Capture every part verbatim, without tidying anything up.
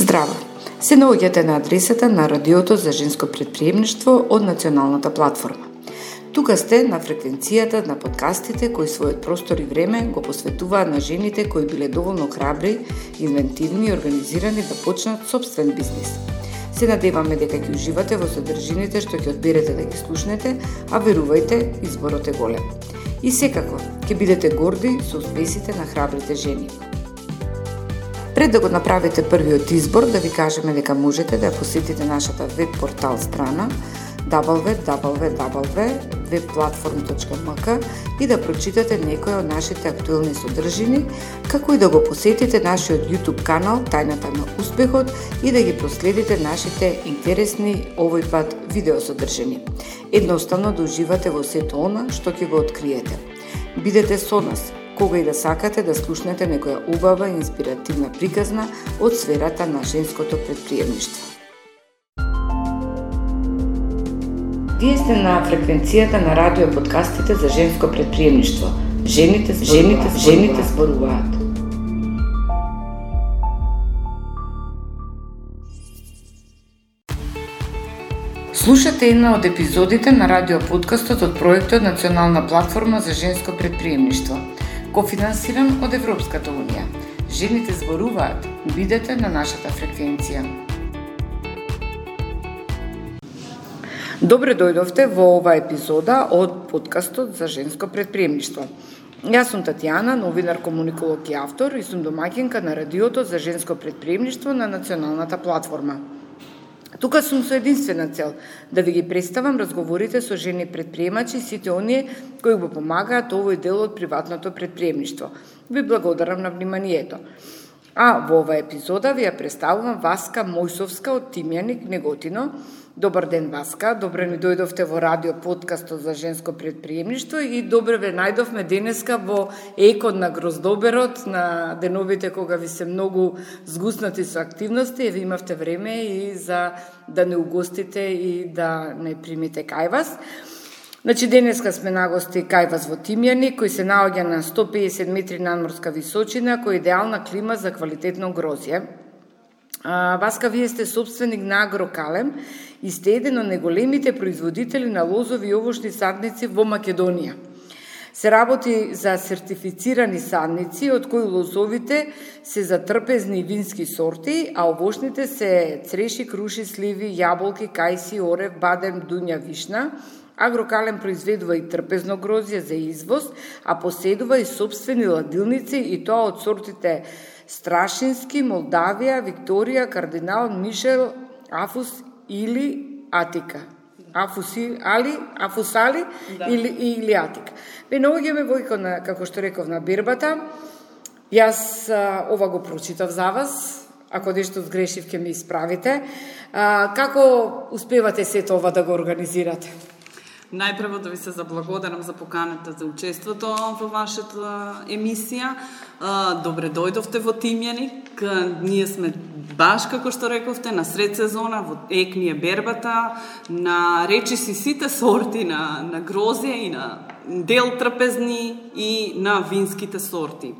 Здраво! Се наоѓате на адресата на Радиото за женско претприемништво од Националната платформа. Тука сте на фреквенцијата на подкастите кои својот простор и време го посветуваат на жените кои биле доволно храбри, инвентивни и организирани да почнат собствен бизнис. Се надеваме дека ќе уживате во содржините што ќе одберете да ги слушнете, а верувајте, изборот е голем. И секако, ќе бидете горди со успесите на храбрите жени. Пред да го направите првиот избор, да ви кажеме дека можете да посетите нашата веб портал страна дабл ю дабл ю дабл ю точка веб платформ точка ем ка и да прочитате некои од нашите актуелни содржини, како и да го посетите нашиот YouTube канал Тајната на успехот и да ги проследите нашите интересни овој пат видеосодржини. Едноставно да уживате во сето она што ќе го откриете. Бидете со нас кога и да сакате да слушнете некоја убава и инспиративна приказна од сферата на женското претприемништво. Вие сте на фреквенцијата на радио подкастите за женско претприемништво. Жените, жените, жените зборуваат. Слушате една од епизодите на радио подкастот од проектот Национална платформа за женско претприемништво, кофинансиран од Европската унија. Жените зборуваат. Бидете на нашата фреквенција. Добре дојдовте во оваа епизода од подкастот за женско претприемништво. Јас сум Татјана, новинар, комуниколог и автор и сум домаќинка на радиото за женско претприемништво на Националната платформа. Тука сум со единствена цел да ви ги представам разговорите со жени претприемачи и сите оние кои го помагаат овој дел од приватното претприемништво. Ви благодарам на вниманието. А во оваа епизода ви ја представувам Васка Мојсовска од Тимјаник, Неготино. Добар ден, Васка. Добре ни дојдовте во радио подкастот за женско претприемништво и добре ве најдовме денеска во екот на Гроздоберот, на деновите кога ви се многу згуснати со активности и ви имавте време и за да не угостите и да не примите кај вас. Значи, денеска сме нагости кај вас во Тимјаник, кој се наоѓа на сто педесет метри надморска височина, кој е идеална клима за квалитетно грозје. А, Васка, вие сте собственик на Агрокалем и сте еден од најголемите производители на лозови и овошни садници во Македонија. Се работи за сертифицирани садници, од кои лозовите се за трпезни вински сорти, а овошните се цреши, круши, сливи, јаболки, кајси, орев, бадем, дуња, вишна. Агрокалем произведува и трпезно грозје за извоз, а поседува и собствени ладилници и тоа од сортите Страшински, Молдавија, Викторија, Кардинал, Мишел, Афус или Атика. Афуси, али, Афусали да. или, или Атика. Бе, наоѓаме во екот на, како што реков, на бербата. Јас а, ова го прочитав за вас. Ако нешто сгрешив, ќе ми исправите. А, како успевате сето ова да го организирате? Најпрво да ви се заблагодарам за поканата за учеството во вашата емисија. Добре дојдовте во Тимјаник. Ние сме баш, како што рековте, на сред сезона, во ек ни е бербата, на речиси сите сорти на, на грозје и на дел трпезни и на винските сорти.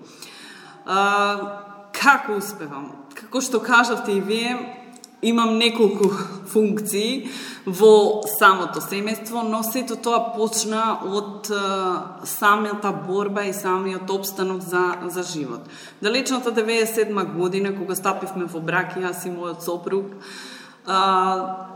Како успевам? Како што кажавте и вие, имам неколку функции во самото семејство, но сето тоа почна од а, самата борба и самиот обстанок за, за живот. Далечната деветдесет и седма година, кога стапивме во брак, јас и мојот сопруг, а,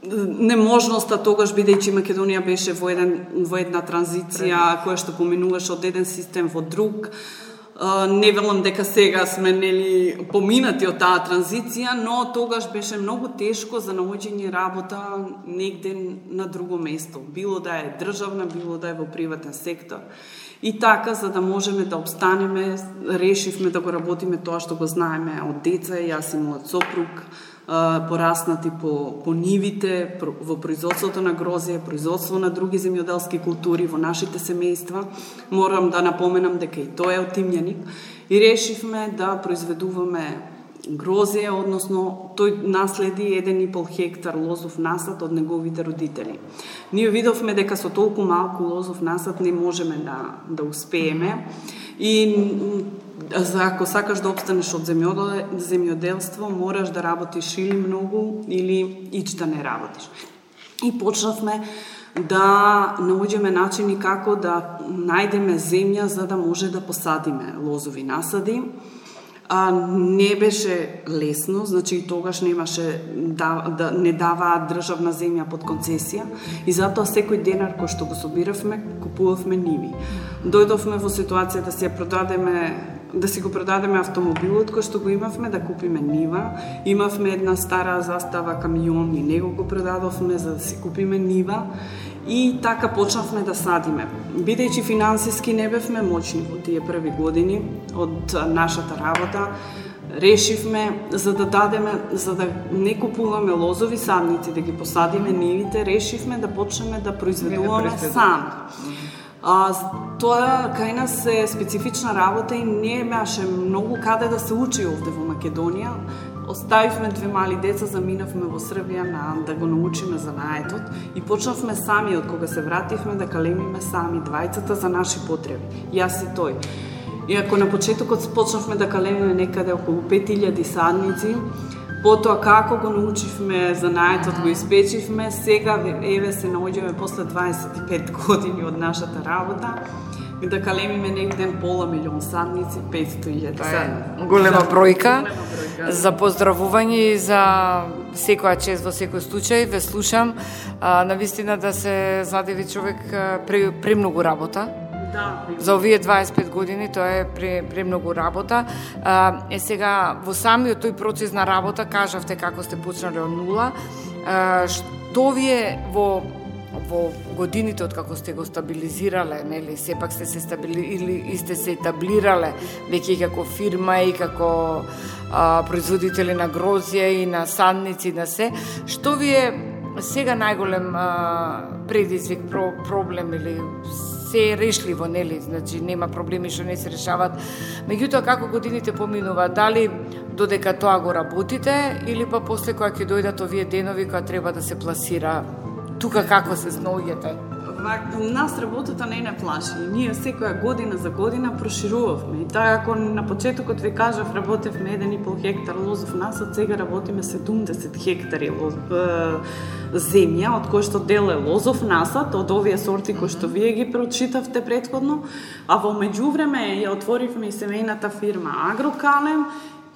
неможноста тогаш, бидејќи Македонија беше во, еден, во една транзиција, која што поминуваше од еден систем во друг. Uh, не велам дека сега сме нели поминати од таа транзиција, но тогаш беше многу тешко за наоѓање работа негде на друго место, било да е државна, било да е во приватен сектор. И така, за да можеме да обстанеме, решивме да го работиме тоа што го знаеме од деца, јас и мојот сопруг, пораснати по, по нивите, во производството на грозје, производство на други земјоделски култури во нашите семејства. Морам да напоменам дека и тоа е од Тимјаник. И решивме да произведуваме грозје, односно тој наследи еден и пол хектар лозов насад од неговите родители. Ние видовме дека со толку малку лозов насад не можеме да, да успееме и за ако сакаш да опстанеш од земјоделство, мораш да работиш или многу, или ич да не работиш. И почнавме да наоѓеме начини како да најдеме земја за да може да посадиме лозови насади. А, не беше лесно, значи и тогаш немаше да, да не даваат државна земја под концесија и затоа секој денар кој што го собиравме, купувавме ниви. Дојдовме во ситуација да си ја продадеме да си го продадеме автомобилот кој што го имавме, да купиме нива. Имавме една стара застава камион и него го продадовме за да си купиме нива. И така почнавме да садиме. Бидејќи финансиски не бевме моćни во тие први години од нашата работа, решивме за да дадеме, за да не купуваме лозови садници, да ги посадиме нивите, решивме да почнеме да произведуваме да сами. А, тоа кај нас е специфична работа и не имаше многу каде да се учи овде во Македонија. Оставивме две мали деца, заминавме во Србија на, да го научиме занаетот и почнавме сами, од кога се вративме, да калемиме сами двајцата за наши потреби. Јас и тој. И ако на почетокот почнавме да калемиме некаде околу пет илјади садници, потоа како го научивме занаетот, го испечивме, сега еве се наоѓаме после дваесет и пет години од нашата работа, да калемиме негде пола милион садници, петстотини илјади садници. Голема бројка. За поздравување и за секоја чест во секој случај. Ве слушам. А, навистина да се задеви човек пре, премногу работа. Да, за овие дваесет и пет години тоа е пре, премногу работа. А, е сега во самиот тој процес на работа кажавте како сте почнале од нула. А, што вие во во годините од како сте го стабилизирале, нели, сепак сте се стабилизирале и сте се етаблирале веќе и како фирма и како а, производители на грозје и на садници и на се, што ви е сега најголем а, предизвик, про, проблем или се е решливо, нели, значи нема проблеми што не се решават. Меѓутоа како годините поминуваат, дали додека тоа го работите или па после кога ќе дојдат овие денови кога треба да се пласира, тука како се снаоѓате? Нас работата не не плаши. Ние секоја година за година проширувавме. И таа ако на почетокот ви кажав работевме еден и пол хектар лозов насад, сега работиме седумдесет хектари лоз, е, земја, од кој што дел е лозов насад, од овие сорти кои што вие ги прочитавте претходно, а во меѓувреме ја отворивме и семејната фирма Агрокалем.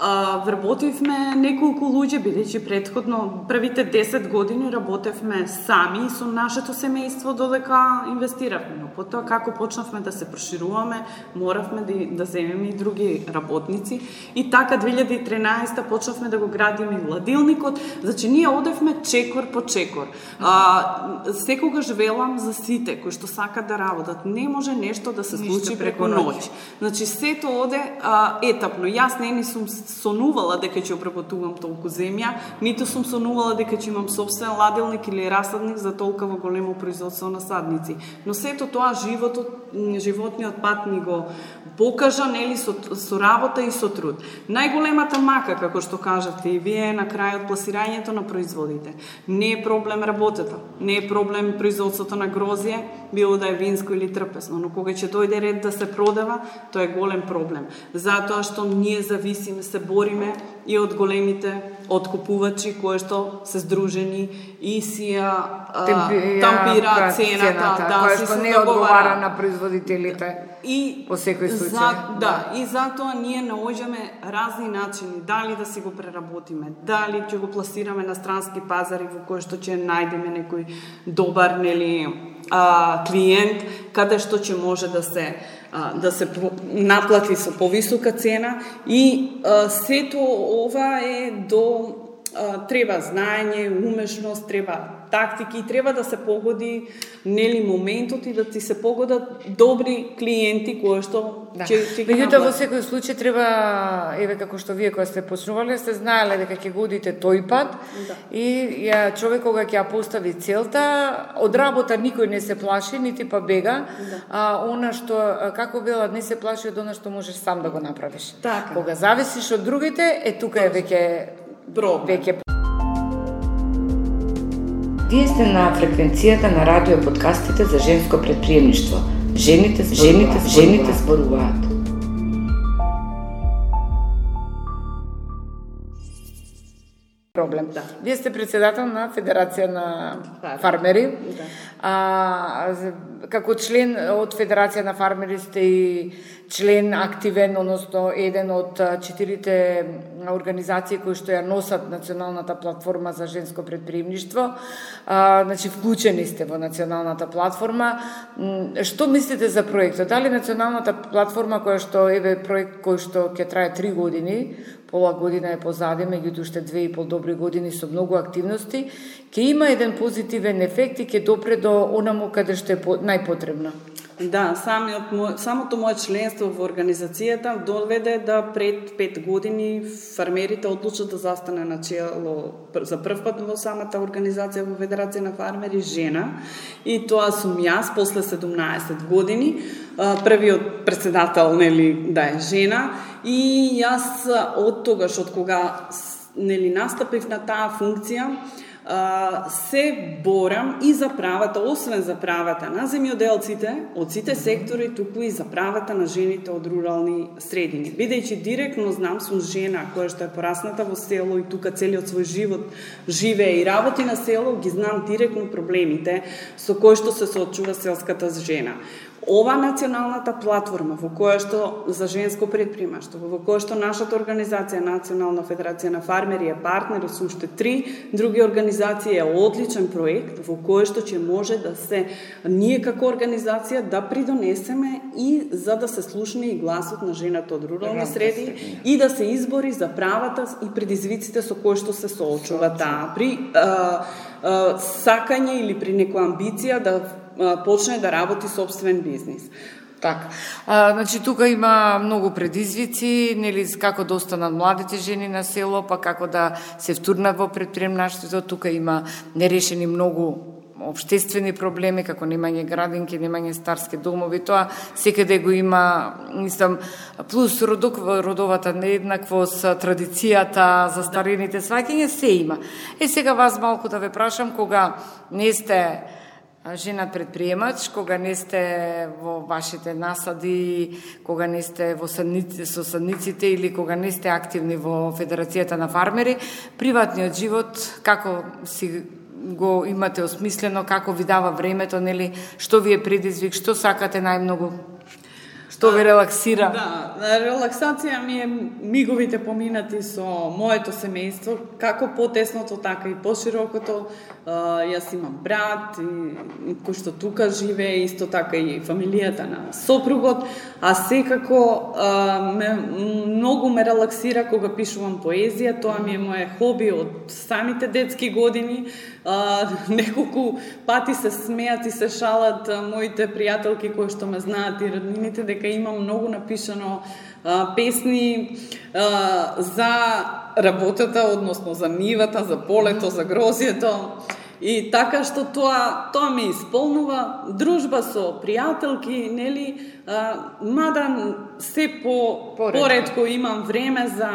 Uh, вработивме неколку луѓе, бидејќи претходно првите десет години работевме сами со нашето семејство додека инвестиравме. Но потоа како почнавме да се прошируваме, моравме да, да земеме и други работници. И така две илјади и тринаесета почнавме да го градиме и ладилникот. Значи ние одевме чекор по чекор. Uh, секогаш велам за сите кои што сакат да работат. Не може нешто да се случи преку ноќ. Значи сето оде uh, етапно. Јас не ни сум сонувала дека ќе обработувам толку земја, ниту сум сонувала дека ќе имам собствен ладилник или расадник за толкова големо производство на садници. Но сето тоа животот, животниот пат ни го покажа, нели, со, со работа и со труд. Најголемата мака, како што кажавте и вие на крајот, пласирањето на производите. Не е проблем работата, не е проблем производството на грозје, било да е винско или трпесно, но кога ќе дојде ред да се продава, тоа е голем проблем. Затоа што ние зависиме, се бориме и од големите откупувачи кои што се здружени и си ја тампираат цената, цената да, која што не одговара на производителите и по секој случај. За, да, и затоа ние наоѓаме разни начини, дали да си го преработиме, дали ќе го пласираме на странски пазари во кои што ќе најдеме некој добар, нели, а, клиент, каде што ќе може да се да се наплати со повисока цена и а, сето ова е до а, треба знаење, умешност, треба тактики и треба да се погоди, нели, моментот и да ти се погодат добри клиенти кои што да. ќе ќе ги Меѓутоа во секој случај треба, еве како што вие кога сте почнувале, сте знаеле дека ќе го одите тој пат да. И ја човек кога ќе ја постави целта, од работа никој не се плаши, нити па бега, да. А она што како велат не се плаши од она што можеш сам да го направиш. Така. Кога зависиш од другите, е тука е веќе веќе Вие сте на фреквенцијата на радио подкастите за женско предприемништво. Жените, жените, жените зборуваат. проблем. Да. Вие сте председател на Федерација на да. фармери. Да. А, како член од Федерација на фармери сте и член активен, односно еден од четирите организации кои што ја носат националната платформа за женско претприемништво. А, значи вклучени сте во националната платформа. Што мислите за проектот? Дали националната платформа која што еве проект кој што ќе трае три години, пола година е позади, меѓутоа уште две и пол добри години со многу активности, ќе има еден позитивен ефект и ќе допре до онаму каде што е најпотребно. Да, самиот мој, самото моје членство во организацијата доведе да пред пет години фармерите одлучат да застане на чело за прв пат во самата организација во Федерација на фармери жена, и тоа сум јас после седумнаесет години, првиот председател, нели, да е жена, и јас од тогаш, од кога нели настапив на таа функција, се борам и за правата, освен за правата на земјоделците од сите сектори, туку и за правата на жените од рурални средини. Бидејќи директно знам, сум жена која што е порасната во село и тука целиот свој живот живее и работи на село, ги знам директно проблемите со кои што се соочува селската жена. Ова националната платформа во која што за женско претприемаштво, во која што нашата организација Национална федерација на фармери е партнер со уште три други организации, е одличен проект во кој што ќе може да се ние како организација да придонесеме и за да се слушне и гласот на жената од рурални среди и да се избори за правата и предизвиците со кои што се соочува таа при а, а, сакање или при некоја амбиција да почне да работи собствен бизнис. Така. А, значи тука има многу предизвици, нели како да останат младите жени на село, па како да се втурнат во претприемништвото. Тука има нерешени многу општествени проблеми, како немање градинки, немање старски домови, тоа секаде го има, мислам, плюс родок, родовата нееднаквост, традицијата, застарените сваќања, се има. Е, сега вас малку да ве прашам, кога не сте жена предприемач, кога не сте во вашите насади, кога не сте во садници, со садниците или кога не сте активни во Федерацијата на фармери, приватниот живот како си го имате осмислено, како ви дава времето, нели, што ви е предизвик, што сакате најмногу? Што ве релаксира? Да, релаксација ми е миговите поминати со моето семејство, како потесното, така и поширокото. Јас имам брат, и, кој што тука живее, исто така и фамилијата на сопругот, а секако ме, многу ме релаксира кога пишувам поезија, тоа ми е моje хоби од самите детски години. А, неколку пати се смеат и се шалат а, моите пријателки кои што ме знаат и роднините дека имам многу напишано а, песни а, за работата, односно за нивата, за полето, за грозието. И така што тоа тоа ме исполнува, дружба со пријателки, нели, а, мада се по поредко имам време за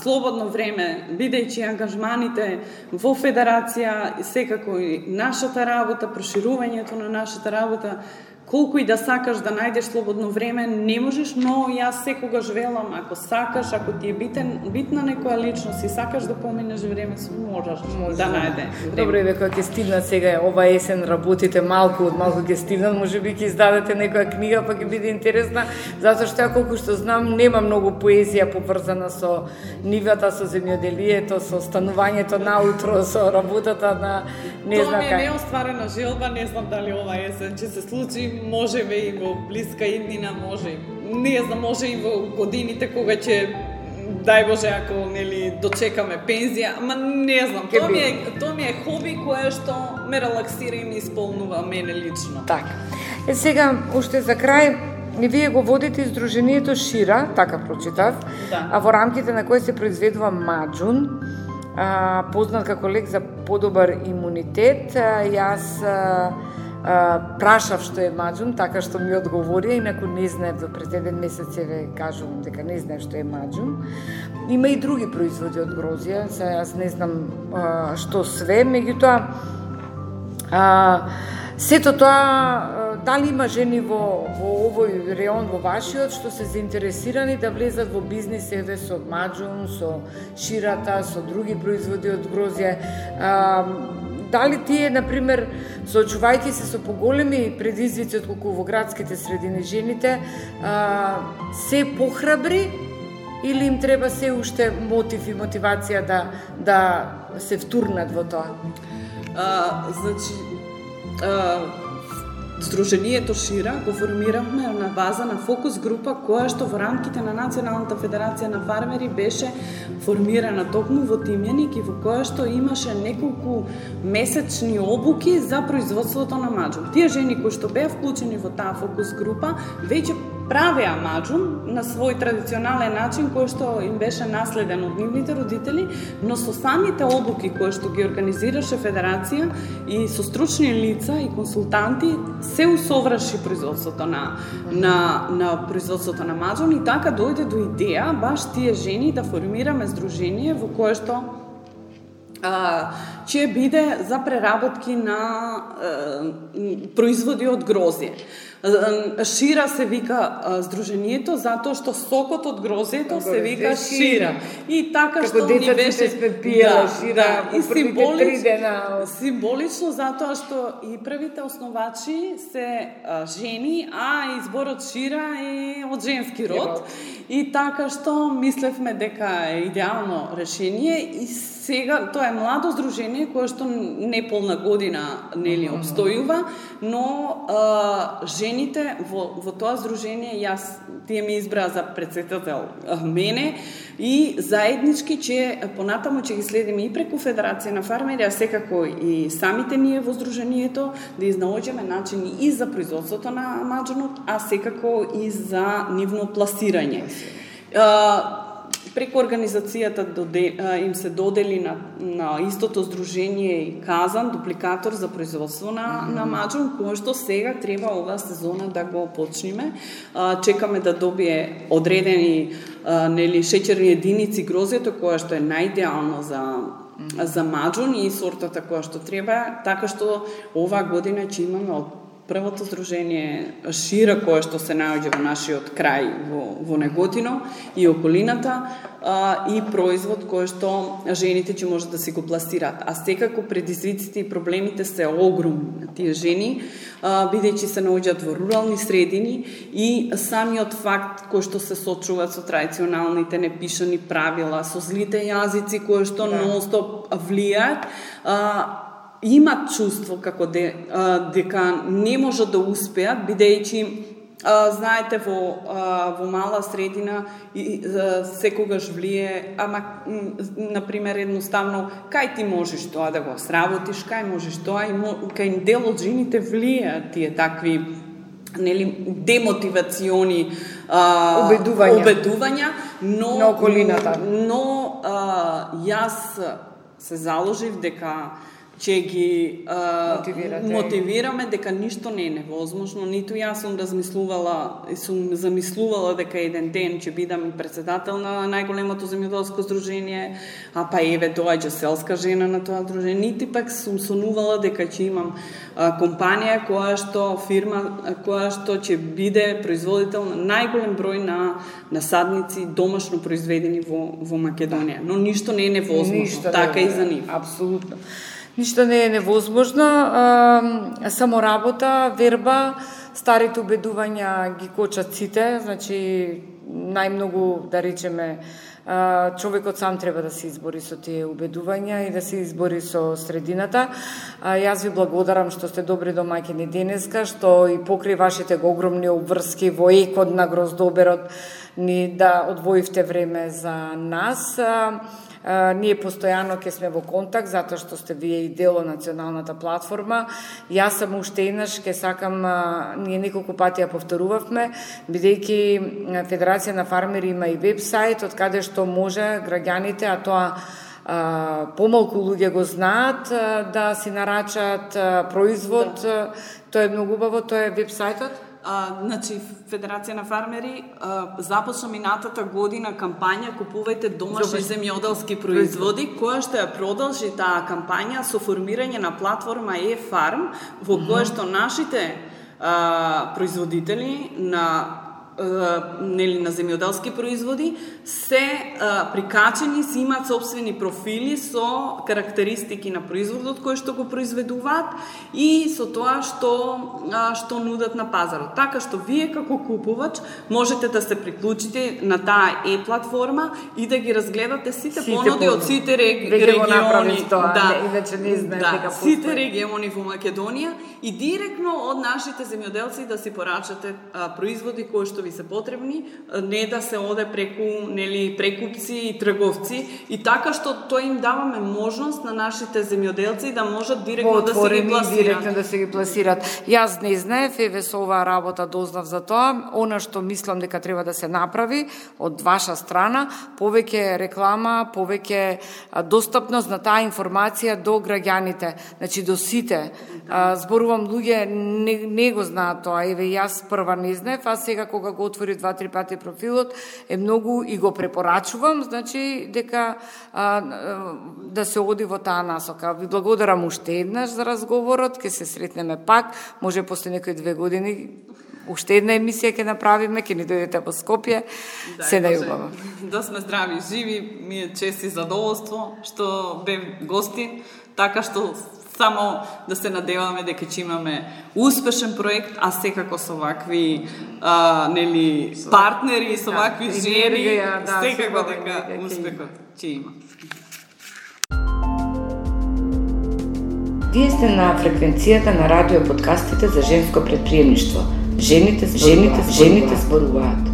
слободно време, бидејќи ангажманите во федерација, секако и нашата работа, проширувањето на нашата работа, колку и да сакаш да најдеш слободно време, не можеш, но јас секогаш велам, ако сакаш, ако ти е битен, битна некоја личност и сакаш да поминеш време, можеш Може, да најде. Добро, и дека ќе стигнат сега ова есен, работите малку од малку ќе стигнат, можеби ќе издадете некоја книга, па ќе биде интересна, затоа што ја колку што знам, нема многу поезија поврзана со нивата, со земјоделието, со станувањето наутро, со работата на не знам кај. Тоа ми кај. е неостварена желба, не знам дали ова есен ќе се случи, може би и во блиска иднина, може, не знам, може и во годините кога ќе, дај Боже, ако нели дочекаме пензија, ама не знам, тоа ми е тоа ми е хоби кое што ме релаксира и ме исполнува мене лично. Така. Е сега уште за крај, и вие го водите издружението Шира, така прочитав, да. А во рамките на кој се произведува маџун, а, познат како лек за подобар имунитет. А, јас а, а, прашав што е маџун, така што ми одговори, инаку не знаев, до пред еден месец ве кажувам дека не знаев што е маџун. Има и други производи од грозија, сега јас не знам а, што све, меѓутоа а, сето тоа дали има жени во, во овој реон, во вашиот, што се заинтересирани да влезат во бизнис еве со маџун, со ширата, со други производи од грозје? А, дали тие, например, соочувајќи се со поголеми предизвици отколку во градските средини жените, а, се похрабри или им треба се уште мотив и мотивација да, да се втурнат во тоа? А, значи, а, Сдруженијето Шира го формиравме на база на фокус група која што во рамките на Националната федерација на фармери беше формирана токму во Тимјаник и во која што имаше неколку месечни обуки за производството на маџун. Тие жени кои што беа вклучени во таа фокус група веќе правеа маџун на свој традиционален начин кој што им беше наследен од нивните родители, но со самите обуки кои што ги организираше Федерација и со стручни лица и консултанти се усоврши производството на, на, на производството на маџун и така дојде до идеја баш тие жени да формираме здружение во кое што а, ќе биде за преработки на а, производи од грозје. Шира се вика здруженијето затоа што сокот од грозјето се вика шира. И така што ни беше пиела шира, да, и символично, символично затоа што и првите основачи се а, жени, а изборот шира е од женски род. И така што мислевме дека е идеално решение и сега тоа е младо здружение кое што неполна година нели обстојува, но а, жените во, во тоа здружение, јас тие ми избраа за претседател мене и заеднички ќе понатаму ќе ги следиме и преку Федерација на фармери, а секако и самите ние во здруженијето да изнаоѓаме начини и за производството на маџунот, а секако и за нивно пласирање. Преку организацијата им се додели на, на истото здружение и казан, дупликатор за производство на, mm-hmm. на маџун, кој што сега треба оваа сезона да го почнеме. Чекаме да добие одредени нели шеќерни единици грозјето, која што е најидеално за mm-hmm. за маџун и сортата која што треба, така што оваа година ќе имаме од првото здружение Шира, кое што се наоѓа во нашиот крај во, во Неготино и околината, а, и производ кој што жените ќе можат да си го пласираат. А секако предизвиците и проблемите се огромни на тие жени, а, бидејќи се наоѓаат во рурални средини и самиот факт кој што се сочуваат со традиционалните непишани правила, со злите јазици кои што да. нон-стоп влијаат, а, имат чувство како де, а, дека не можат да успеат, бидејќи а, знаете во а, во мала средина и а, секогаш влие, ама на пример едноставно кај ти можеш тоа да го сработиш, кај можеш тоа и мо, кај дел од жените влијаат тие такви нели демотивациони а, убедувања, убедувања но на околината. Но а, јас се заложив дека ќе ги а, мотивираме дека ништо не е невозможно, ниту јас сум размислувала и сум замислувала дека еден ден ќе бидам и председател на најголемото земјоделско здружение, а па еве доаѓа селска жена на тоа здружение, нити пак сум сонувала дека ќе имам а, компанија која што фирма која што ќе биде производител на најголем број на насадници домашно произведени во во Македонија, но ништо не е невозможно, ништо така не е, и за нив. Апсолутно. Ништо не е невозможно, а, само работа, верба, старите убедувања ги кочат сите, значи најмногу, да речеме, а, човекот сам треба да се избори со тие убедувања и да се избори со средината. А, јас ви благодарам што сте добри домаќини денеска, што и покрај вашите огромни обврски во екот на гроздоберот ни да одвоивте време за нас. А, Uh, ние постојано ќе сме во контакт, затоа што сте вие и дел од националната платформа. Јас сам уште еднаш ќе сакам, uh, ние неколку пати ја повторувавме, бидејќи Федерација на фармери има и вебсайт, од каде што може граѓаните, а тоа uh, помалку луѓе го знаат, uh, да си нарачат uh, производ. Да. Тоа е многу убаво, тоа е вебсајтот. А, значи, Федерација на фармери а, започна минатата година кампања Купувајте домашни земјоделски производи, која што ја продолжи таа кампања со формирање на платформа e-Farm, во која што нашите а, производители на нели на земјоделски производи се а, прикачени, си имаат собствени профили со карактеристики на производот кој што го произведуваат и со тоа што а, што нудат на пазарот. Така што вие како купувач можете да се приклучите на таа е-платформа и да ги разгледате сите, сите понуди од сите реги, региони, тоа, да, не, иначе не знаем да, дека сите региони во Македонија и директно од нашите земјоделци да си порачате а, производи кои што ви се потребни, не да се оде преку нели прекупци и трговци и така што тоа им даваме можност на нашите земјоделци да можат директно да се ги пласираат. Директно да се ги пласираат. Јас не знаев, еве со оваа работа дознав за тоа. Она што мислам дека треба да се направи од ваша страна, повеќе реклама, повеќе достапност на таа информација до граѓаните, значи до сите. А, зборувам луѓе не, не го знаат тоа. Еве јас прва не знаев, а сега кога го отвори два-три пати профилот е многу и го препорачувам, значи дека а, да се оди во таа насока. Ви благодарам уште еднаш за разговорот, ќе се сретнеме пак, може после некои две години уште една емисија ќе направиме, ќе ни дојдете во Скопје. Да, се најубаво. Да сме здрави и живи, ми е чест и задоволство што бев гостин, така што само да се надеваме дека ќе имаме успешен проект, а секако со вакви а, нели партнери, со вакви да, жени, да, секако дека успехот ќе има. Вие сте на фреквенцијата на радио подкастите за женско предприемништво. Жените, жените, жените зборуваат.